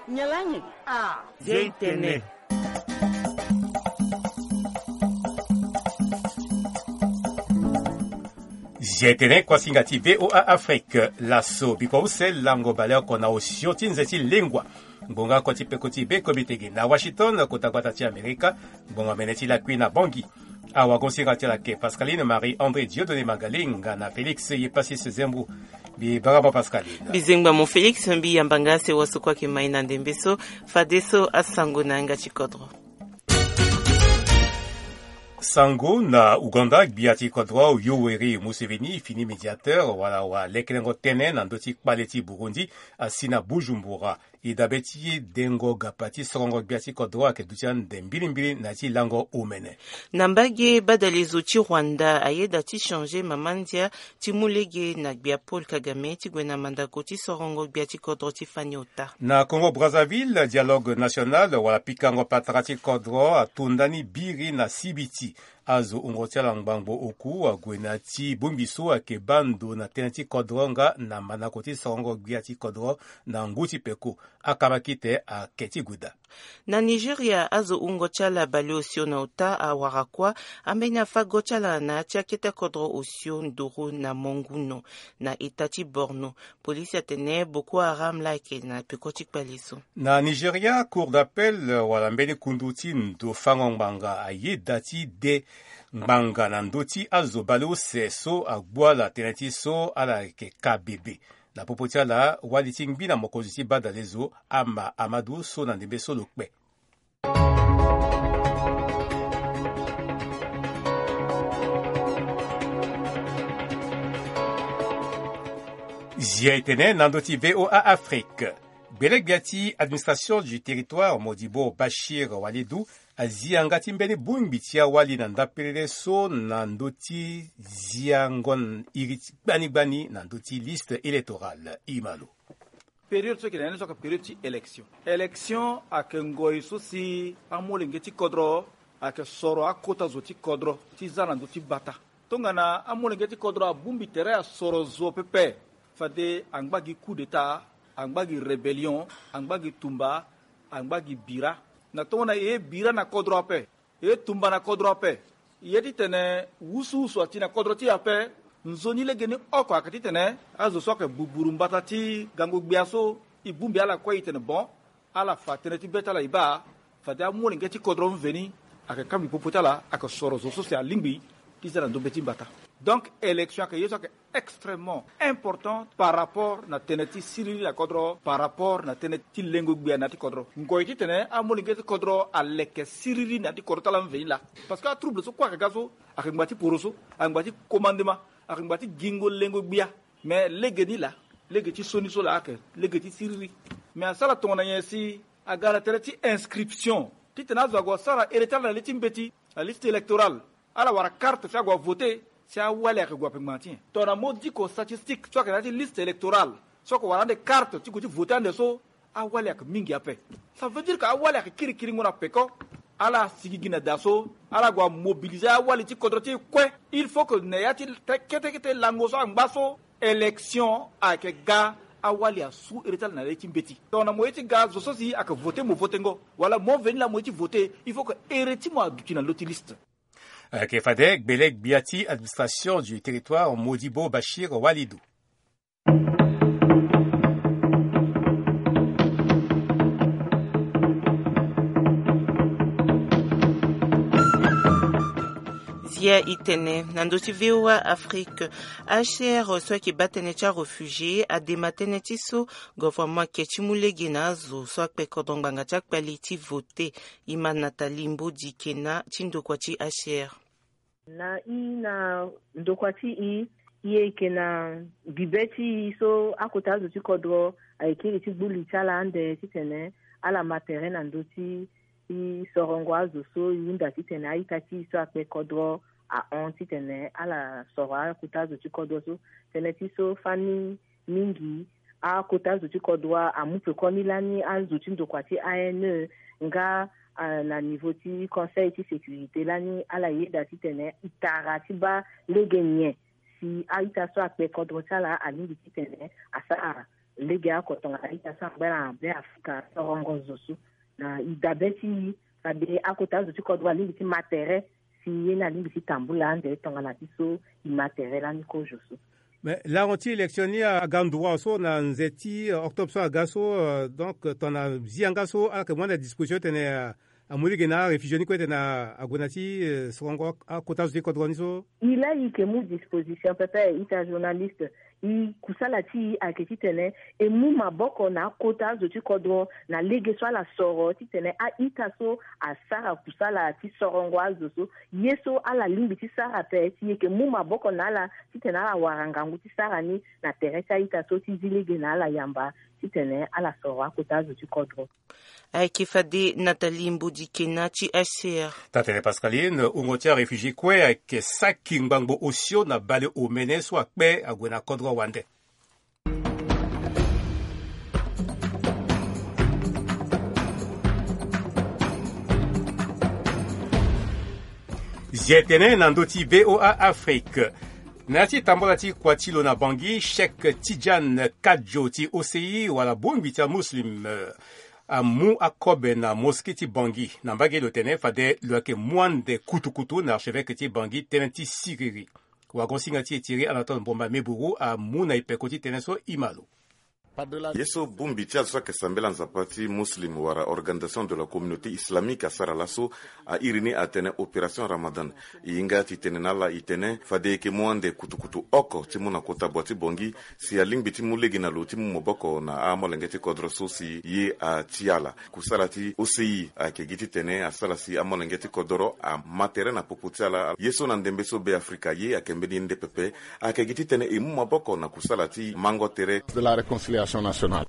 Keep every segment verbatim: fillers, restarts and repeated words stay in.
Nyalangi. Ah. Zia itene. Zia itene kuasinga ti VOA Afrique. Laso bikua use lango baleoko na osio ti nze ti lengua. Ngbonga oko ti peko ti be komitege na Washington, kota gbata ti Amerika. Ngbonga mene ti lakui na Bangui. Awagosinga ti ala ke Pascaline Marie André Dieudonné Magalinga na Félix Yepasis Zembu. Mbi bara mo Pascaline. Mbi zengba mo Félix, mbi yamba nga se waso kue ayeke mai na ndembe so. Fadeso asango na yanga ti kodro. Sango na Ouganda, gbia ti kodro Yoweri Museveni fini médiateur wala walekelengo tënë na ndö ti kpale ti Burundi asi na Bujumbura. E dabe ti dengo gapa ti sorongo gbia ti kodro ayeke duti ande mbilimbili na ya ti lango omene. Na mbage badalezo ti Rwanda ayeda ti changer mama ndia ti mu lege na gbia Paul Kagame ti gue na mandako ti sorongo gbia ti kodro ti fani ota. Na Congo Brazzaville, dialogue national wala pikango patara ti kodro ato ndani biri na sibiti. Azo wungo ti ala ngbangbo oku ague na ti bongbi so ayeke baa ndo na tënë ti kodro nga na mandako ti sorongo gbia ti kodro na ngu ti peko. Akabakite ake ti gue daa. Na Nigeria, azo wungo ti ala baleosio na ota awara kuâ, ambeni afa go ti ala na ya ti akete kodro osio nduru na Monguno, na eta ti Borno. Polisi atene Boko Haram laa ayeke na peko ti kpale so. Na Nigeria, Cour d'appel wala mbeni kundu ti ndo fango ngbanga ayeda ti de ngbanga na ndö ti azo baleuse so agbu ala tënë ti so ala yeke ka bebe. Na popo ti ala, wali ti ngbi na mokonzi ti badalezo Ama Amadu so na ndembe so lo kpe. Zia etene na ndö ti VOA Afrique. Gbelegbia ti administration du territoire Modibo Bachir Walidou azi yanga ti mbeni bongbi ti awali na ndapelele so na ndö ti ziango iri ti gbani gbani na ndö ti liste électorale. Imalo. Période so yeke na ya ni so ayeke période ti élection. Élection ayeke ngoi so si amolenge ti kodro ayeke soro akota zo ti kodro ti za na ndö ti bata. Tongana amolenge ti kodro abongbi tere asoro zo pepe, fade angba gi coup d'état, angba gi rébellion, angba gi tumba, angba gi bira. Na tongana e ye bira na kodro ape, e ye tumba na kodro ape, e ye titene wusuwusu ati na kodro ti e ape. Nzoni legeni oko ayeke titene azo so ayeke buburu mbata ti gango gbia so e bongbi ala kue, e tene bon, ala fa tënë ti be ti ala e baa, fade amolenge ti kodro mveni ayeke kangbi popo ti ala, ayeke soro zo so si alingbi ti za na ndombe ti mbata. Donc élection ayeke ye so ayeke extrêmement important par rapport na tënë ti siriri na kodro, par rapport na tënë ti lengo gbia na ya ti kodro. Ngoi titene amolenge ti kodro aleke siriri na ya ti kodro ti ala mveni laa. Parce que atrouble so kue ayeke ga so, ayeke ngba ti poroso, ayeke ngba ti komandema, ayeke ngba ti gingo lengo gbia. Mais lege ni laa, lege ti sioni so laa ayeke lege ti siriri. Mais asara tongana nyen si aga na tere ti inscription titene azo ague asara ere ti ala na le ti mbeti, na liste électorale, ala wara karte si ague avote, si awali ayeke gue ape ngbanga ti nyen? Tongana mo diko statistique so ayeke na ya ti liste électorale so ayeke wara ande karte ti gue ti vote ande so, awali ayeke mingi ape. Ça veut dire que awali ayeke kirikiringo na peko. Ala sigi gi na da so, ala gue amobilize awali ti kodro ti e kue. Il faut que na ya ti kete kete lango so angba so, élection ayeke ga, awali asu ere ti ala na le ti mbeti. Tongana mo ye ti ga, zo so si ayeke vote mo votengo, wala mo veni laa mo ye ti vote, il faut que ere ti mo aduti na lo ti liste. Ayeke fade gbele gbia ti administration du territoire Modibo Bachir Walidou. Zia itene na ndö ti VOA Afrique, H C R so ayeke baa tënë ti aréfugié adema tënë ti so gouvernement ayeke ti mu lege na azo so akpe kodro ngbanga ti akpali ti vote. Imana Talimbo di kena ti ndokua ti H C R. Na i na ndokua ti i, i yeke na bibe ti i so akota azo ti kodro ayeke kiri ti gbu li ti ala ande titene ala ma tere na ndö ti i sorongo azo so i hunda titene a-ita ti i so akpe kodro ahon titene ala soro akota azo ti kodro so. Tënë ti so fani mingi akota azo ti kodro amu pekoni lani azo ti ndokua ti A N E nga, ah, na niveau ti conseil ti sécurité lani ala yeda titene e tara ti baa lege nyen si a-ita so akpe kodro ti ala alingbi titene asara. Lege oko tongana ita so angba na be afrika sorongo zo so, na e dabe ti e. Fade akota azo ti kodro alingbi ti ma tere si ye ni alingbi ti tambula ande tongana ti so e ma tere lani kozo so. Mais lango ti élection ni aga nduru awe so na nze ti octobre so aga so, donc tongana zi yanga so ala yeke mu ande disposition tene amu lege na aréfugié ni kue tene ague na ti sorongo akota azo ti kodro ni so. E laa e yeke mu disposition pepe ita journaliste. E kusala ti e ayeke titene e mu maboko na akota azo ti kodro na lege so ala soro titene a-ita so asara kusala ti sorongo azo so. Ye so ala lingbi ti sara ape si e yeke mu maboko na ala titene ala wara ngangu ti sara ni na tere ti a-ita so ti zi lege na ala yamba titene ala soro akota azo ti kodro. Ayeke fade Nathalie Mbodikena ti H C R. Tatene Pascaline, wungo ti aréfugié kue ayeke saki ngbangbo osio na baleomene so akpe ague na kodro wande. Zi etene na ndö ti V O A Afrique. Na ya ti tambala ti kua ti lo na Bangui, Cheikh Tidiane Kadio ti O C I wala bongbi ti amuslim amu akobe na mosquée ti Bangui. Na mbage lo tene fade lo yeke mu ande kutukutu na archevêque ti Bangui tënë ti siriri. Wagonsinga ti e Thierry Anatole Mbomba Meburu amu na e peko ti tënë so e ma lo. Ye so bongbi ti azo so ayeke sambela nzapa ti muslim wala organisation de la communauté islamique asara laso, a iri ni atene opération ramadan. E hinga ti tene na ala e tene fade e yeke mu ande kutukutu oko ti mu na kota bua ti Bangui si alingbi ti mu lege na lo ti mu maboko na amolenge ti kodro so si ye ati ala. Kusala ti O C I ayeke gi titene asara si amolenge ti kodoro ama tere na popo ti ala. Ye so na ndembe so Be Afrika ye ayeke mbeni nde pepe. Ayeke gi titene e mu maboko na kusala ti mango tere. De la réconciliation nationale.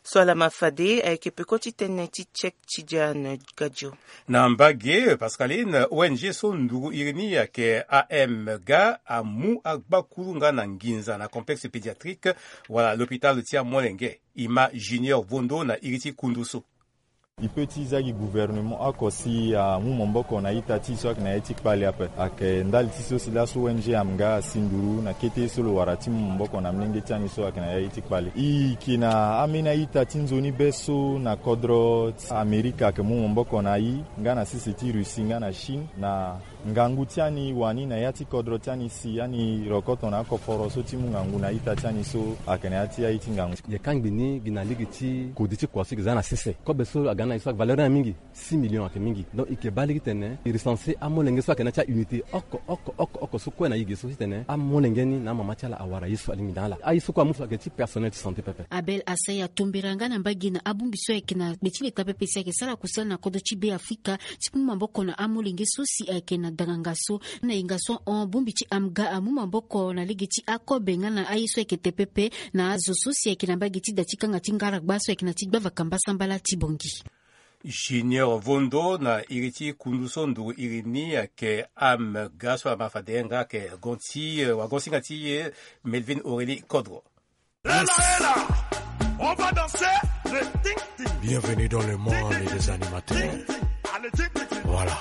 So ala ma fade ayeke peko ti tënë ti Cheikh Tidiane Gadio. Na mbage Pascaline, O N G so nduru iri ni ayeke A M G amu agbakuru nga na nginza na complexe pédiatrique wala l'hôpital ti amolenge. E ma Junior Vondo na iri ti kundu so. E peut ti za gi gouvernement oko si amu maboko na ita ti e so ayeke na ya ti kpale ape. Ayeke ndali ti so si laso O N G A M G A asi nduru na kete so lo wara ti mu maboko na molenge ti ani so ayeke na ya ti kpale. E yeke na ambeni a-ita ti nzoni be so na kodro ti Amerika ayeke mu maboko na e nga na sese ti Russie nga na Chine na ngangu ti ani wani na ya ti kodro ti ani si ani rokoto na akoforo so ti mu ngangu na ita ti ani so ayeke na ya ti aye ti ngangu. Ye kangbi ni gi na lege ti kodi ti kua so e yeke za na sese kobe so aga na e so ayeke valeur ni mingi, six millions ayeke mingi. Donc e yeke baa lege titene e recenser amolenge so ayeke na ya ti aunité oko oko oko oko so kue na e ge so titene amolenge ni na amama ti ala awara ye so alingbi na ala. Aye so kue amu so ayeke ti personnel ti santé pepe. Abel Asaya atombera nga na mbage na abongbi so ayeke na gbe ti leta pepe si ayeke sara kusala na kodro ti Be Afrika ti mu maboko na amolenge so si ayeke na danganga so. Na yenga so hon bongbi ti A M G A amu maboko na lege ti akobe nga na aye so ayeke te pepe na azo so si ayeke na mbage ti da ti kanga ti ngaragba so ayeke na ti gbavaka mbasambala ti Bangui. Junior Vondo na iri ti kundu so nduru iri ni ayeke A M G A so ama fade nga ayeke gon ti wagonsinga ti e Melvin Aurélie Kodro. Bienvenue dans le monde des animateurs. Voilà.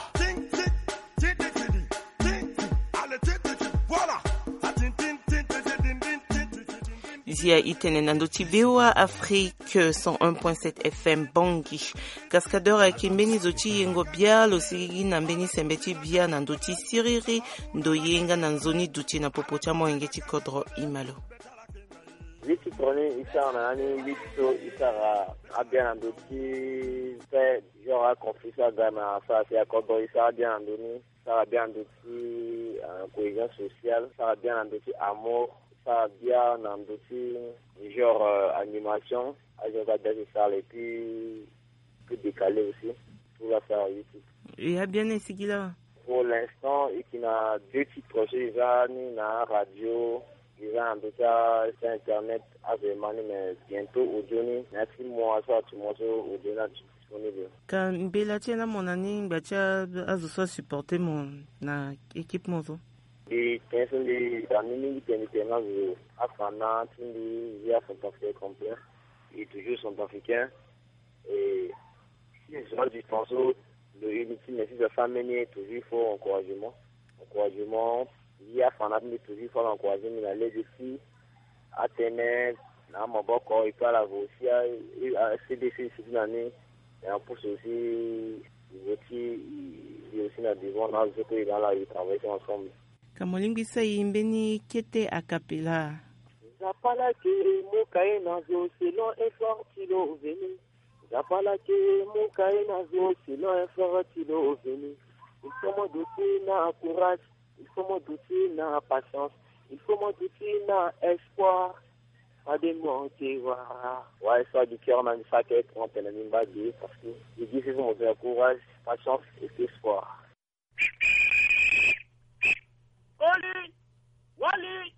Zia itene na ndö ti V O A Afrique cent un point sept F M Bangui. Cascadeur ayeke mbeni zo ti yengo bia lo sigi na mbeni sembe ti bia na ndö ti siriri ndo ye nga na nzoni duti na popo ti amolenge ti kodro. Imalo. Ye ti chronique e sara na ya ni ye ti so e sara abia na ndö ti fait genre aconflit so aga na sara si akodro e sara abia na ndö ni, sara abia na ndö ti cohésion sociale, sara abia na ndö ti amour, sara abia na ndö ti genre animation. Azo so abia si sara et puis plus décalé aussi. Tout la sara ye ti. E abia ni e sigi laa. Pour l'instant e yeke na deux titres so e za ni na aradio, e za na ndö ti asite internet. Azo e ma ni mais bientôt audio ni na ya ti mois so atu mois so audio ni atu disponible. Ka mbela ti e na mo na ni ngba ti azo so asupporte mo na équipe mo so. Mbi tene so mbi da ni mingi tene tene na zo afana ti mbi. Mbi acentrafricain complet. E toujours centrafricain. Et si zo adistance so lo iri ti me si zo asara mbeni ye toujours il faut encouragement. Encouragement. Ye afana ti mbi toujours il faut ala encourager mbi na lege ti atene Na maboko, il peut aller aussi à, à C D C, c'est une année. Et en plus aussi, il veut aussi, il veut aussi na devant, là, je peux aller là, il travaille ensemble. Ka mo lingbi sa e mbeni kete a capella. Zapala ke mo kaye na zo selon effort ti lo veni. Zapala ke mo kaye na zo selon effort ti lo veni. Il faut mo duti na courage. Il faut mo duti na patience. Il faut mo duti na espoir. Pas de monter, voilà. Ouais, ça du cœur, même ça, qui est en train de me battre, parce que je dis, c'est mon courage, patience et espoir. Oli, wali,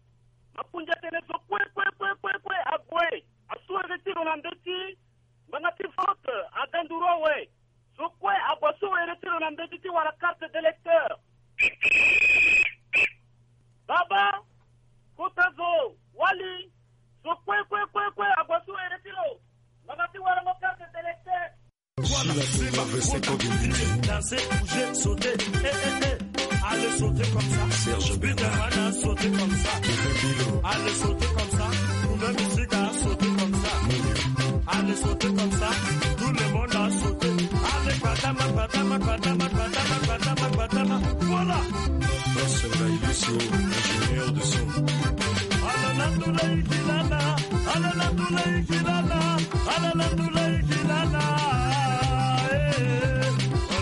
mapunja tene zo kue, kue, kue, kue, kue, ague, asue retiro na ndeti, mbanga ti vote, agandu rowe. Zo kue ague so e retiro na ndeti ti wara carte d'électeur. Baba, kota zo, wali, zo kue, kue, kue, kue, ague so e retiro. Mama ti wara mo carte d'électeur. Voilà, c'est ma faute. Danser, bouger, sauter. Eh, eh, eh. Allez sauter comme ça. Serge Bernard. Peter Pan a sauté comme ça. Kevin Bilo. Allez sauter comme ça. Nous-mêmes ici, on a sauté comme ça. Allez sauter comme ça. Tout le monde a sauté. Allez, patama, patama, patama, patama, patama, patama. Voilà. Docteur Senga Ilisio, ingénieur de son. Alala tulai kilala, alala tulai kilala, alala tulai kilala. Eh, eh.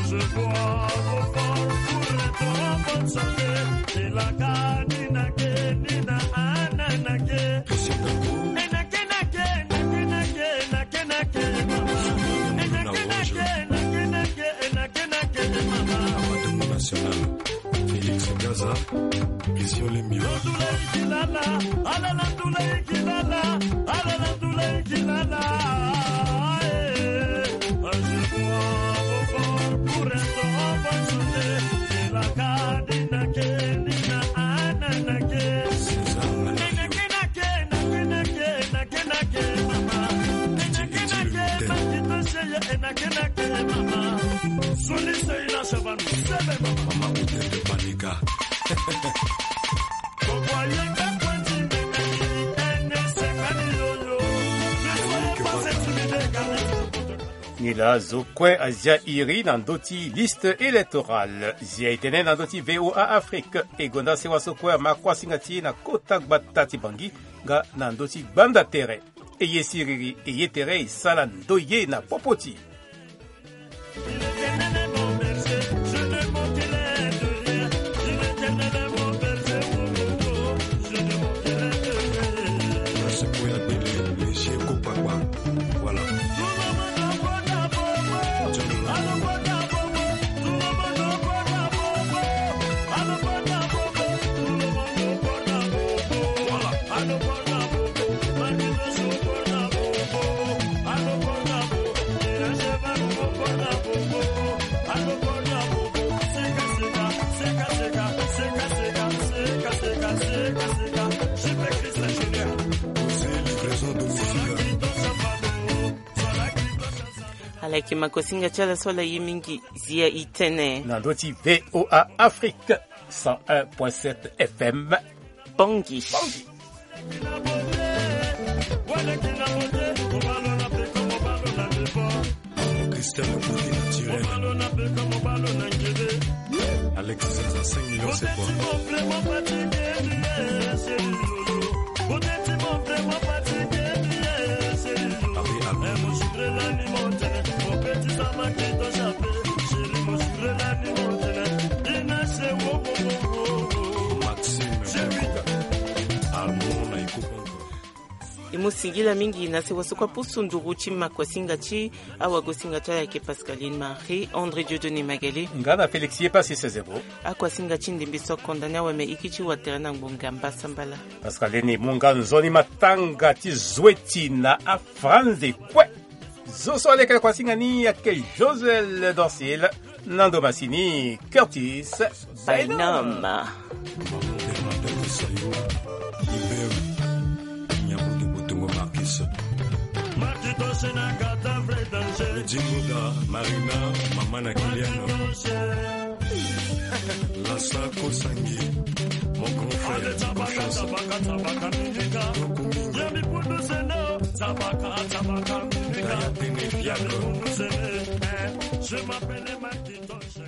Je bois vos forts pour être en bonne santé. Tilaka, ninake, nina, ananake. Enake, nake, nake, nake, nake, nake, mama. Enake, nake, nake, nake, enake, nake, mama. Amadou National, Félix Gaza, Christian Lembio. Tulai kilala, alala tulai kilala, alala tulai kilala. Eh, je bois vos forts pour être en bonne santé. Tilaka, ninake, nina, ananake. César Malafio. Enake, nake, nake, nake, nake, mama. Enake, nake, makito seye, enake, nake, mama. Suni sey na shabanu, sebe, mama. Mama Kutete Panika. Ni laa zo kue azia iri na ndö ti liste électorale. Zia e tene na ndö ti V O A Afrique. E gonda sewa so kue ama kuasinga ti e na kota gbata ti Bangui nga na ndö ti gbanda tere. E ye siriri, e ye tere, e sara ndoye na popo ti e. Ala yeke makosinga ti ala so ala ye mingi. Zia e tene na ndö ti V O A Afrique, cent un point sept F M. Bangui. Christelle Koudina Tirel. Alexis Zaza, cinq millions, c'est quoi? Paris, Alma. Maxime Koko. Alma na Ikupa. E mu singila mingi na sewa so kue apusu nduru ti makosinga ti awagosinga ti ala ayeke Pascaline Marie, André Dieudonné Magali. Nga na Félix Yepasi Sezebo. Akuasinga ti ndembe so akonda ni awe me iki ti watere na ngbonga mbasambala. Pascaline, e mu nga nzoni matanga ti zweti na afranze kue. Zo so aleke na kuasinga ni ayeke Josuel Dorcil, na ndo masini Curtis Bynum. Bynum. Marquis. Edingoda, Marina, mama na Kiliana. Lasa Kosangi, mon grand frère, bonne chance. Beaucoup mingi. Sabaka, sabaka, mimika. Ya tene fiacre. Je m'appelle Macintosh.